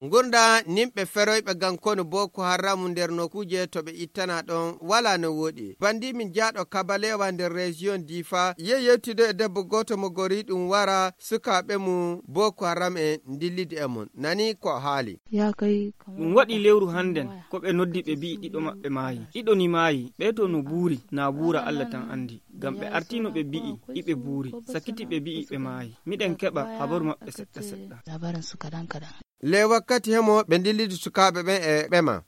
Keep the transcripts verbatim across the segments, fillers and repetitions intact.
Ngurnda nimɓe feroyɓe gam konu Boko Haram nder nokkuuje to ɓe ittana ɗon wala no woɗi. Bandi min jaaɗo Kabalewa nder reziyon Difa, ye yewtido e debbo gooto mo gori ɗum wara sukaaɓe mum Boko Haram en ndillidi e mum. Nani ko haali. Ɗum waɗi lewru hannden, ko ɓe noddi ɓe mbi'i ɗiɗo maɓɓe maayi. Ɗiɗo ni maayi, ɓee to no buuri, na buura Allah tan anndi. Ngam ɓe artino ɓe mbi'i, iɓe buuri. Sakiti ɓe mbi'i ɓe maayi. Miɗen keɓa habaru maɓɓe seɗɗa seɗɗa. Ley wakkati hemo ɓe ndillidi sukaaɓe ɓen e ɓe ma.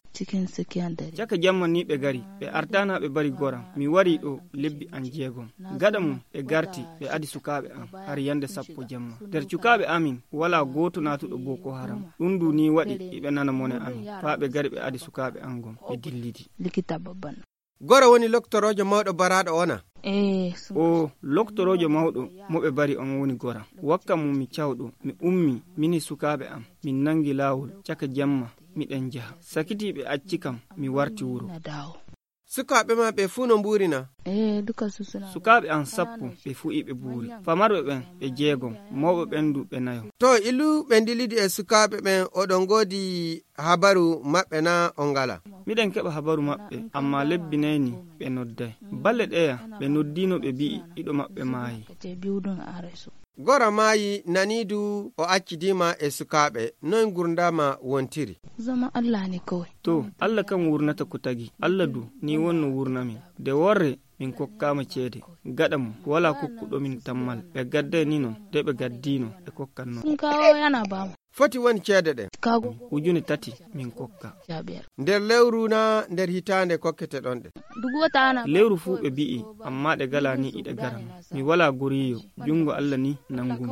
Caka jamma ni ɓe gari, ɓe artana ɓe bari goram. Mi wari ɗo lebbi an jeegom. Gaɗa mum ɓe garti, ɓe adi sukaaɓe am, har yande sappo jamma. Nder cukaaɓe amin, wala gooto naatuɗo Boko Haram. Ɗum du ni waɗi, iɓe nana mone amin. Faa ɓe gari ɓe adi sukaaɓe am gom, ɓe dillidi. Gora woni loktoroojo mawɗo baraaɗo ona? O loktoroojo mawɗo mo ɓe bari on woni gora. Wakka mum mi cawɗo, mi ummi, mini sukaaɓe am, min nangi laawol, caka jamma, miɗen jaha. Sakiti ɓe acci kam, mi warti wuro. Sukaaɓe ma ɓe fuu no mbuurina? Sukaaɓe am sappo, ɓe fuu iɓe buuri. Famarɓe ɓen, ɓe jeegom, mawɓe ɓen du ɓe nayo. To ilu ɓe ndilidi e sukaaɓe ɓen, oɗon ngoodi habaru maɓɓe na on ngala? Miɗen keɓa habaru maɓɓe, amma lebbi nayi ni ɓe nodday. Balle ɗeya, ɓe noddino ɓe mbi'i ɗiɗo maɓɓe maayi. Gora maayi, nani du o accidiima e sukaaɓe. Noy ngurndaama wontiri? To, Allah kan wurnata ko tagi. Allah du, ni wonno wurna min. De worre, min kokkaama ceede. Gaɗa mum, wala kokkuɗo min tammal. Ɓe gadday ni non, de ɓe gaddino, ɓe kokkan non. Foti woni ceede ɗen? Ujune tati min kokka. Nder lewru na nder hitaande kokkete ɗon ɗe? Lewru fuu ɓe bi'i, amma ɗe gala ni iɗe gara. Mi wala goriyo, jungo Allah ni nangumi.